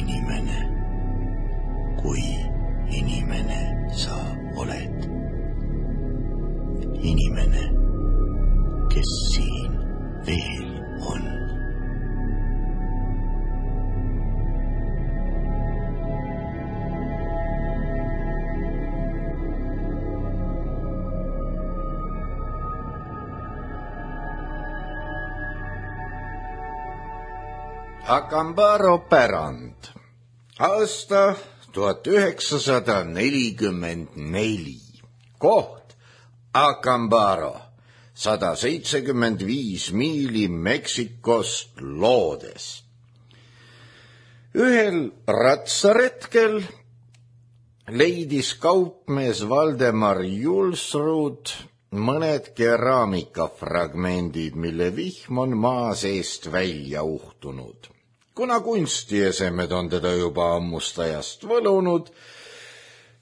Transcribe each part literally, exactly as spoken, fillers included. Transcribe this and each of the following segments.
inimene, kui inimene sa oled. Inimene, kes siin veel on. Acambaro pärand. Aasta tuhat üheksasada nelikümmend neli. Koht Acambaro, sada seitsekümmend viis miili Meksikost loodes. Ühel ratsaretkel leidis kaupmees Valdemar Julsrud mõned keraamikafragmendid, mille vihm on maa seest välja uhtunud. Kuna kunstiesemed on teda juba ammust ajast võlunud,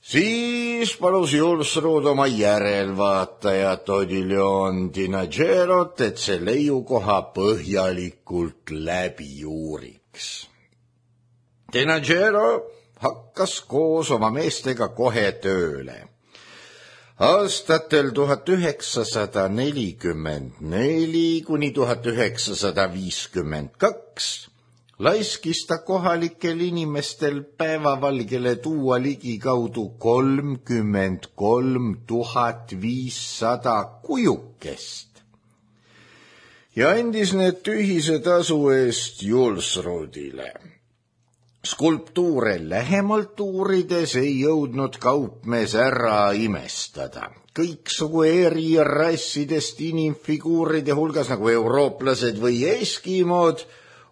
siis palus Julsrud oma järelvaatajat Odilon Dinagerot, et see leiukoha põhjalikult läbi uuriks. Dinagero hakkas koos oma meestega kohe tööle. Aastatel tuhat üheksasada nelikümmend neli kuni tuhat üheksasada viiskümmend kaks laiskis ta kohalikel inimestel päevavalgele tuua ligikaudu kolmkümmend kolm tuhat viissada kujukest ja andis need tühise tasu eest Julsrudile. Skulptuure lähemalt uurides ei jõudnud kaupmees ära imestada. Kõiksugu eri rassidest inimfiguuride hulgas nagu eurooplased või eskimood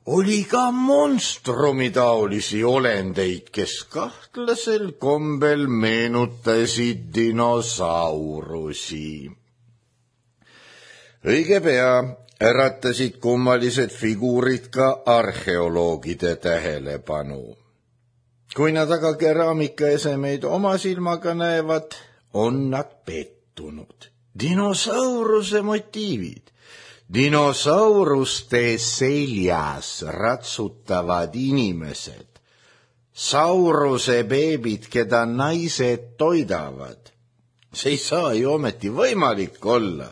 oli ka monstrumitaolisi olendeid, kes kahtlasel kombel meenutasid dinosaurusi. Õige pea äratasid kummalised figuurid ka arheoloogide tähelepanu. Kui nad aga keraamikaesemeid oma silmaga näevad, on nad pettunud. Dinosauruse motiivid. Dinosauruste seljas ratsutavad inimesed. Sauruse beebid, keda naised toidavad. See ei saa ju ometi võimalik olla.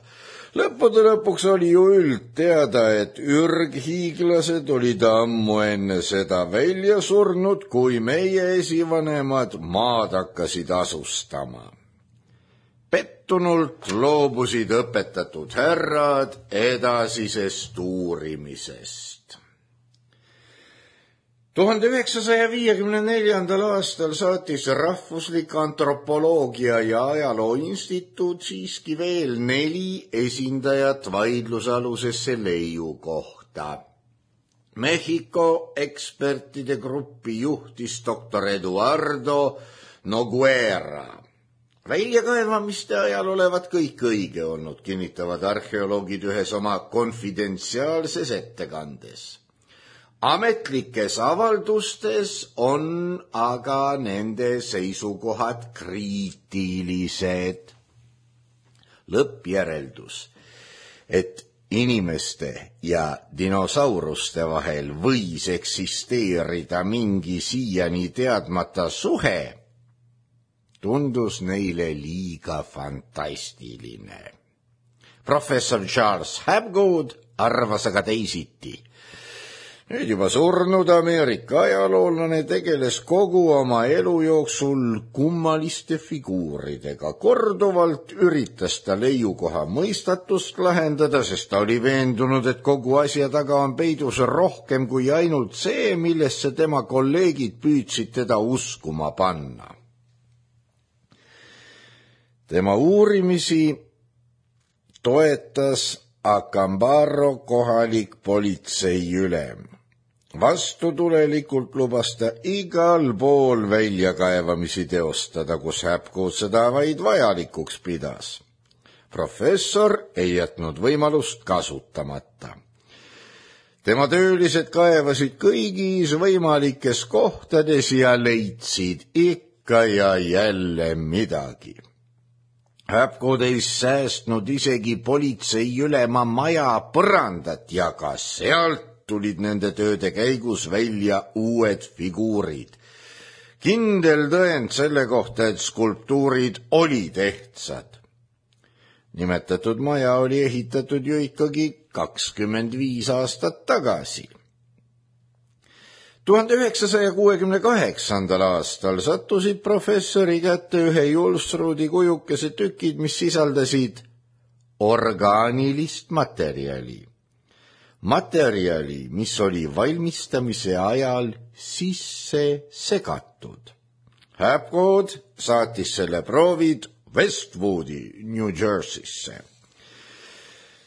Lõppude lõpuks oli ju üld teada, et ürghiiglased olid ammu enne seda välja surnud, kui meie esivanemad maad hakkasid asustama. Pettunult loobusid õpetatud härrad edasisest uurimisest. tuhande üheksasaja viiekümne neljandal aastal saatis Rahvuslik Antropoloogia ja Ajaloo Instituut siiski veel neli esindajat vaidlusalusesse leiu kohta. Mehhiko ekspertide gruppi juhtis doktor Eduardo Noguera. Väljakaevamiste ajal olevat kõik õige olnud, kinnitavad arheoloogid ühes oma konfidentsiaalses ettekandes. Ametlikes avaldustes on aga nende seisukohad kriitilised. Lõppjäreldus, et inimeste ja dinosauruste vahel võis eksisteerida mingi siiani teadmata suhe, tundus neile liiga fantastiline. Professor Charles Hapgood arvas aga teisiti. Nüüd juba surnud Ameerika ajaloolane tegeles kogu oma elu jooksul kummaliste figuuridega. Korduvalt üritas ta leiukoha mõistatust lahendada, sest ta oli veendunud, et kogu asja taga on peidus rohkem kui ainult see, millesse tema kolleegid püüdsid teda uskuma panna. Tema uurimisi toetas Acambaro kohalik politseiülem. Vastutulelikult lubas ta igal pool väljakaevamisi teostada, kus Hapgood seda vaid vajalikuks pidas. Professor ei jätnud võimalust kasutamata. Tema töölised kaevasid kõigis võimalikes kohtades ja leidsid ikka ja jälle midagi. Hapgood ei säästnud isegi politseiülema maja põrandat ja ka sealt tulid nende tööde käigus välja uued figuurid. Kindel tõend selle kohta, et skulptuurid olid ehtsad. Nimetatud maja oli ehitatud ju ikkagi kakskümmend viis aastat tagasi. tuhande üheksasaja kuuekümne kaheksandal aastal sattusid professori kätte ühe Julsrudi kujukese tükid, mis sisaldasid orgaanilist materjali. Materjali, mis oli valmistamise ajal sisse segatud. Hapgood saatis selle proovid Westwoodi, New Jerseysse.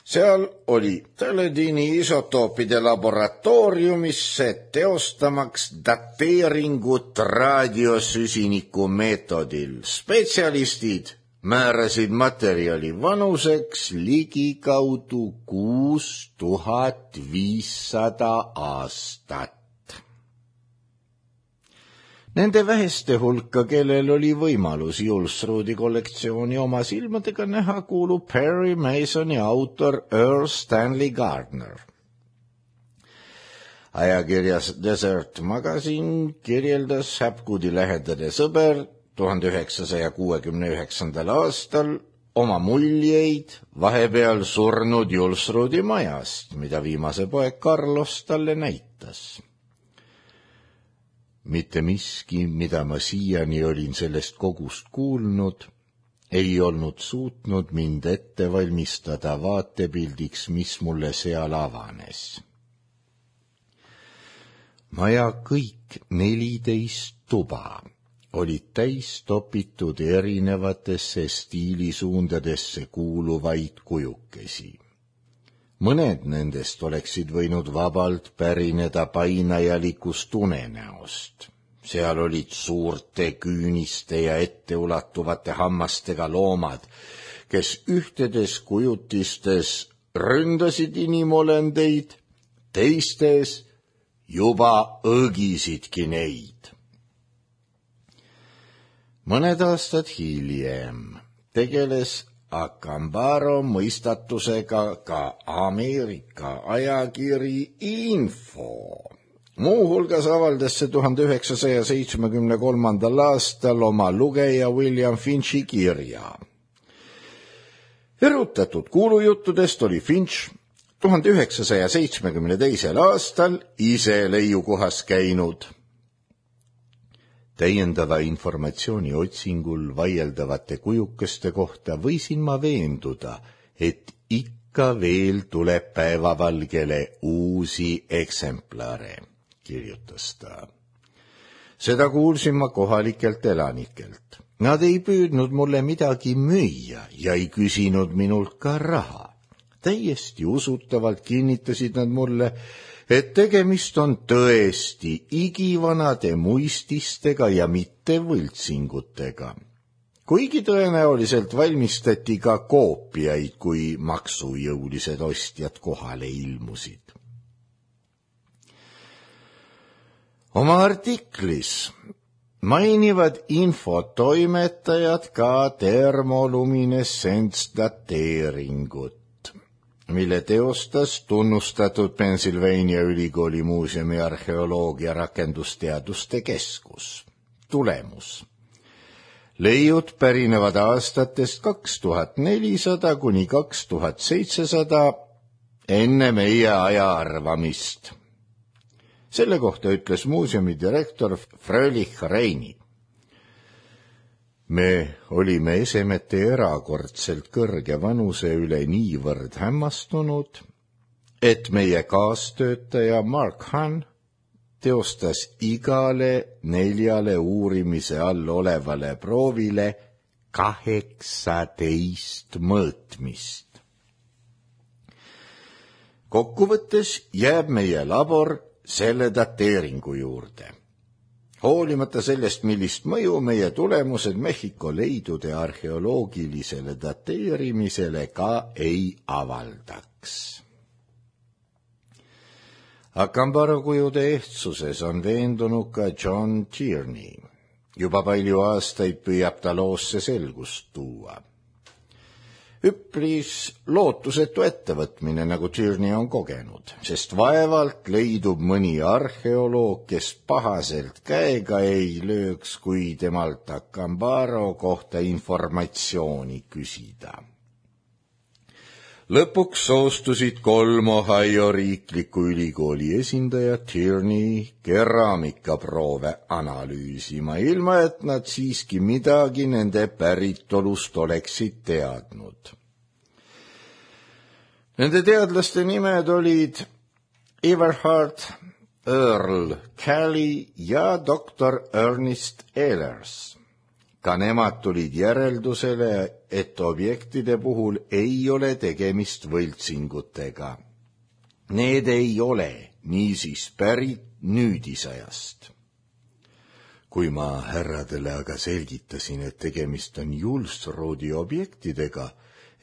Seal oli Teledini isotoopide laboratooriumisse teostamaks dateeringut raadiosüsiniku meetodil. Spetsialistid määrasid materjali vanuseks ligikaudu kuus tuhat viissada aastat. Nende väheste hulka, kellel oli võimalus Julsrudi kollektsiooni oma silmadega näha, kuulub Perry Masoni autor Earl Stanley Gardner. Ajakirjas Desert Magazine kirjeldas Hapgoodi lähedane sõber tuhande üheksasaja kuuekümne üheksandal aastal oma muljeid vahepeal surnud Julsrudi majast, mida viimase poeg Carlos talle näitas. Mitte miski, mida ma siiani olin sellest kogust kuulnud, ei olnud suutnud mind ette valmistada vaatepildiks, mis mulle seal avanes. Maja kõik neliteist tuba olid täis topitud erinevatesse stiilisuundadesse kuuluvaid kujukesi. Mõned nendest oleksid võinud vabalt pärineda painajalikust unenäost. Seal olid suurte küüniste ja etteulatuvate hammastega loomad, kes ühtedes kujutistes ründasid inimolendeid, teistes juba õgisidki neid. Mõned aastad hiljem tegeles Acambaro mõistatusega ka Ameerika ajakiri Info. Muuhulgas avaldas see tuhande üheksasaja seitsmekümne kolmandal aastal oma lugeja William Finchi kirja. Erutatud kuulujuttudest oli Finch tuhande üheksasaja seitsmekümne teisel aastal ise leiukohas käinud. Täiendava informatsiooni otsingul vaieldavate kujukeste kohta võisin ma veenduda, et ikka veel tuleb päevavalgele uusi eksemplare, kirjutas ta. Seda kuulsin ma kohalikelt elanikelt. Nad ei püüdnud mulle midagi müüa ja ei küsinud minult ka raha. Täiesti usutavalt kinnitasid nad mulle, et tegemist on tõesti igivanade muististega ja mitte võltsingutega. Kuigi tõenäoliselt valmistati ka koopiaid, kui maksujõulised ostjad kohale ilmusid. Oma artiklis mainivad infotoimetajad ka termoluminescents-dateeringut, mille teostas tunnustatud Pennsylvania ülikooli muuseumi arheoloogia rakendusteaduste keskus. Tulemus. Leiud pärinevad aastatest kaks tuhat nelisada kuni kaks tuhat seitsesada enne meie aja arvamist. Selle kohta ütles muuseumi direktor Fröhlich Reini. Me olime esemete erakordselt kõrge vanuse üle niivõrd hämmastunud, et meie kaastöötaja Mark Hahn teostas igale neljale uurimise all olevale proovile kaheksateist mõõtmist. Kokkuvõttes jääb meie labor selle dateeringu juurde. Hoolimata sellest, millist mõju meie tulemused Mehhiko leidude arheoloogilisele dateerimisele ka ei avaldaks. Acambaro kujude ehtsuses on veendunud ka John Tierney. Juba palju aastaid püüab ta loosse selgust tuua. üpris lootusetu ettevõtmine, nagu Tierney on kogenud, sest vaevalt leidub mõni arheoloog, kes pahaselt käega ei lööks, kui temalt Akambaro kohta informatsiooni küsida. Lõpuks soostusid kolm Ohio riikliku ülikooli esindajat Tierney keraamikaproove analüüsima, ilma et nad siiski midagi nende päritolust oleksid teadnud. Nende teadlaste nimed olid Everhard Earl Kelly ja doktor Ernest Ehlers. Ka nemad tulid järeldusele, et objektide puhul ei ole tegemist võltsingutega. Need ei ole niisiis pärit nüüdisajast. Kui ma härradele aga selgitasin, et tegemist on Julsrudi objektidega,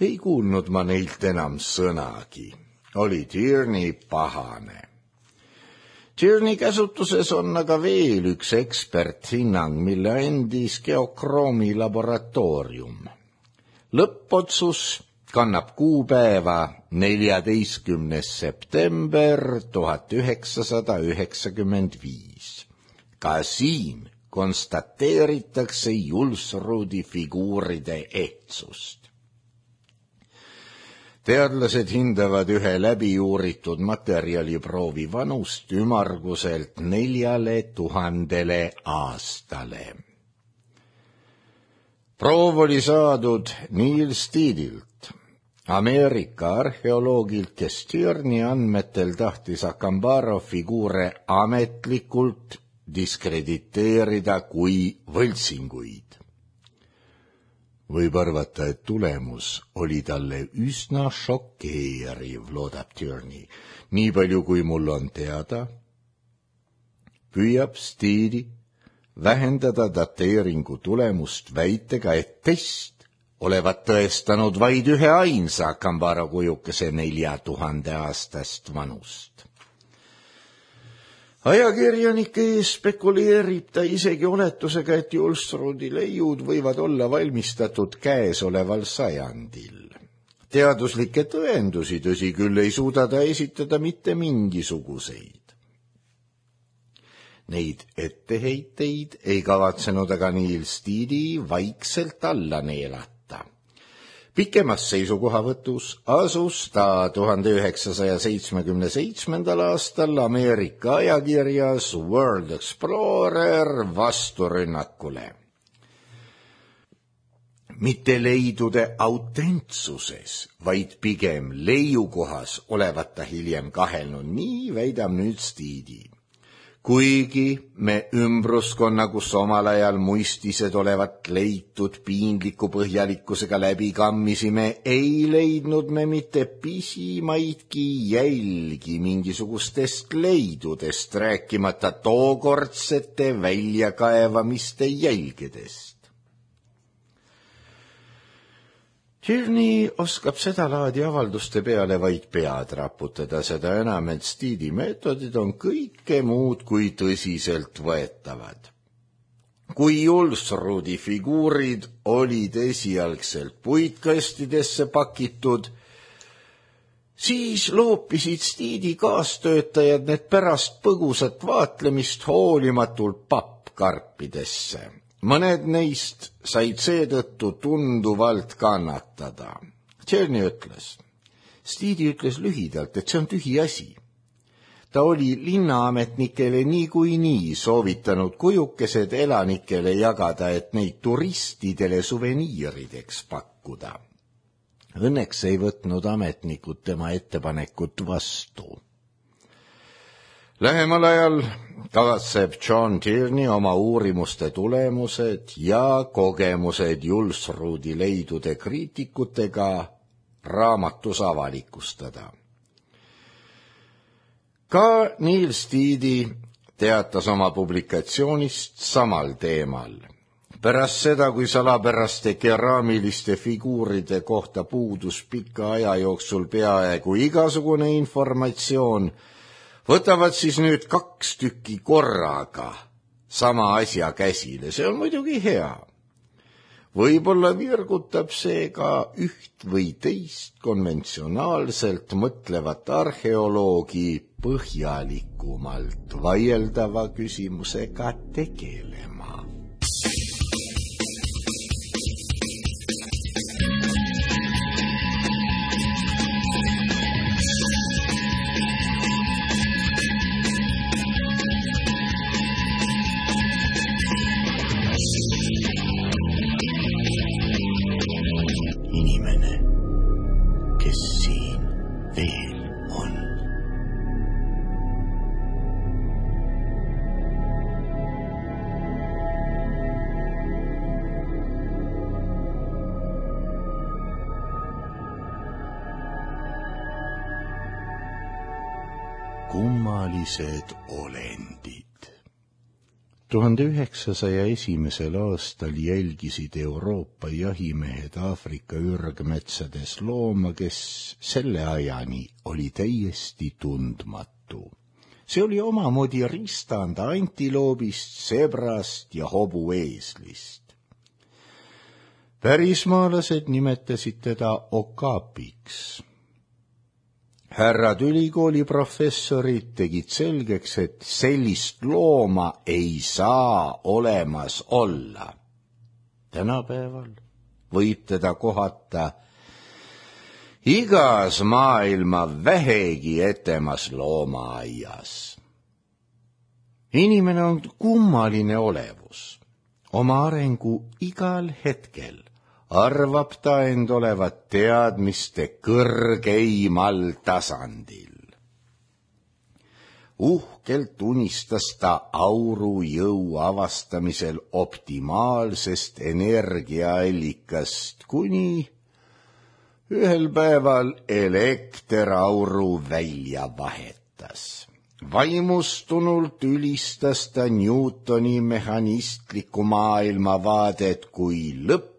ei kuulnud ma neilt enam sõnagi. Oli Tierney pahane. Tierney käsutuses on aga veel üks eksperthinnang, mille andis Geokroomi laboratoorium. Lõppotsus kannab kuupäeva neljateistkümnes september tuhat üheksasada üheksakümmend viis. Ka siin konstateeritakse Julsrudi figuuride ehtsust. Teadlased hindavad ühe läbiuuritud materjaliproovi vanust ümarguselt neljale tuhandele aastale. Proov oli saadud Neil Steedilt, Ameerika arheoloogilt, kes Tierney andmetel tahtis Akambaro figuure ametlikult diskrediteerida kui võltsinguid. Võib arvata, et tulemus oli talle üsna šokeeriv, loodab Tierney. Nii palju, kui mul on teada, püüab Steedi vähendada dateeringu tulemust väitega, et test olevat tõestanud vaid ühe ainsa Akambaro kujukese nelja tuhande aastast vanust. Ajakirjanike ees spekuleerib ta isegi oletusega, et Julsrudi leiud võivad olla valmistatud käesoleval sajandil. Teaduslikke tõendusi, tõsi küll, ei suuda ta esitada mitte mingisuguseid. Neid etteheiteid ei kavatsenud aga Neil Steedi vaikselt alla neelata. Pikemas seisukohavõtus asus ta tuhande üheksasaja seitsmekümne seitsmendal aastal Ameerika ajakirjas World Explorer vasturünnakule. Mitte leidude autentsuses, vaid pigem leiukohas olevat ta hiljem kahelnud, nii väidab nüüd Steedi. Kuigi me ümbruskonna, kus omal ajal muistised olevat leitud piinliku põhjalikkusega läbi kammisime, ei leidnud me mitte pisimaidki jälgi mingisugustest leidudest, rääkimata tookordsete väljakaevamiste jälgedest. Tierney oskab seda laadi avalduste peale vaid pead raputada, seda enam, et Steedi meetodid on kõike muud kui tõsiselt võetavad. Kui Julsrudi figuurid olid esialgselt puitkastidesse pakitud, siis loopisid Steedi kaastöötajad need pärast põgusat vaatlemist hoolimatult pappkarpidesse. Mõned neist said seetõttu tunduvalt kannatada. Tierney ütles. Steedi ütles lühidalt, et see on tühi asi. Ta oli linnaametnikele niikuinii soovitanud kujukesed elanikele jagada, et neid turistidele suveniirideks pakkuda. Õnneks ei võtnud ametnikud tema ettepanekut vastu. Lähemal ajal kavatseb John Tierney oma uurimuste tulemused ja kogemused Julsrudi leidude kriitikutega raamatus avalikustada. Ka Neil Steedi teatas oma publikatsioonist samal teemal. Pärast seda, kui salapäraste keraamiliste figuuride kohta puudus pika aja jooksul peaaegu igasugune informatsioon, võtavad siis nüüd kaks tükki korraga sama asja käsile, see on muidugi hea. Võib-olla virgutab see ka üht või teist konventsionaalselt mõtlevat arheoloogi põhjalikumalt vaieldava küsimusega tegelema. Inimene, kes siin veel on. Kummalised olendid. tuhande üheksasaja esimesel aastal jälgisid Euroopa jahimehed Aafrika ürgmetsades looma, kes selle ajani oli täiesti tundmatu. See oli omamoodi ristand antiloobist, sebrast ja hobueeslist. Pärismaalased nimetasid teda okaapiks. Härrad ülikooli professorid tegid selgeks, et sellist looma ei saa olemas olla. Tänapäeval võib teda kohata igas maailma vähegi etemas loomaaias. Inimene on kummaline olevus. Oma arengu igal hetkel arvab ta end olevat teadmiste kõrgeimal tasandil. Uhkelt unistas ta aurujõu avastamisel optimaalsest energiaallikast, kuni ühel päeval elekter auru välja vahetas. Vaimustunult ülistas ta Newtoni mehhanistlikku maailmavaadet kui lõpp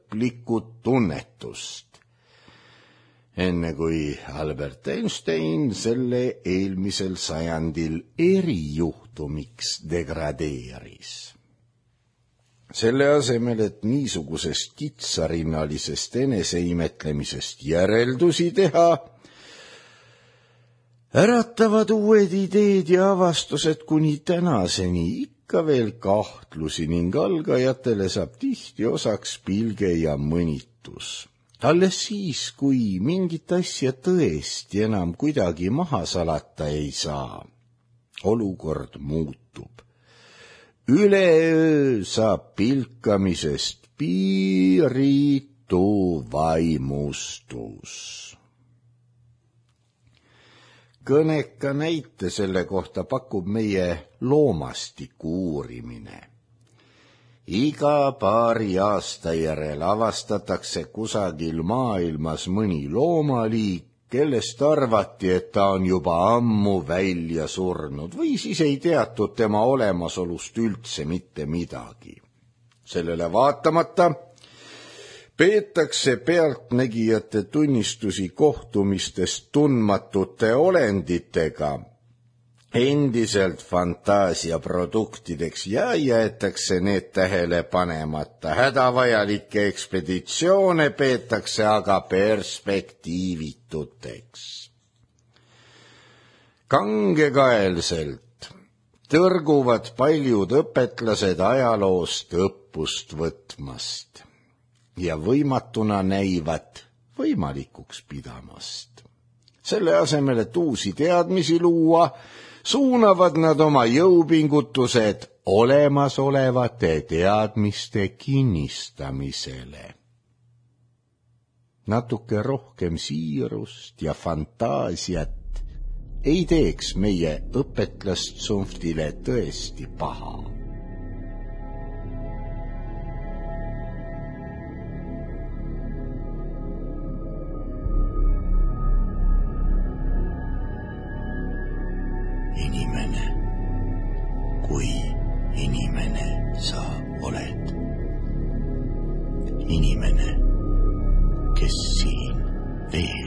tunnetust, enne kui Albert Einstein selle eelmisel sajandil erijuhtumiks degradeeris. Selle asemel, et niisugusest kitsarinnalisest eneseimetlemisest järeldusi teha, äratavad uued ideed ja avastused kuni tänaseni ikka veel kahtlusi ning algajatele saab tihti osaks pilge ja mõnitus. Alles siis, kui mingit asja tõesti enam kuidagi maha salata ei saa, olukord muutub. Üleöö saab pilkamisest piiritu vaimustus. Kõneka näite selle kohta pakub meie loomastiku uurimine. Iga paari aasta järel avastatakse kusagil maailmas mõni loomaliik, kellest arvati, et ta on juba ammu välja surnud või siis ei teatud tema olemasolust üldse mitte midagi. Sellele vaatamata peetakse pealtnägijate tunnistusi kohtumistest tundmatute olenditega endiselt fantaasiaproduktideks ja jäetakse need tähele panemata. Hädavajalikke ekspeditsioone peetakse aga perspektiivituteks. Kangekaelselt tõrguvad paljud õpetlased ajaloost õppust võtmast ja võimatuna näivad võimalikuks pidamast. Selle asemel, et uusi teadmisi luua, suunavad nad oma jõupingutused olemasolevate teadmiste kinnistamisele. Natuke rohkem siirust ja fantaasiat ei teeks meie õpetlastsumftile tõesti paha. Inimene, kui inimene sa oled. Inimene, kes siin veel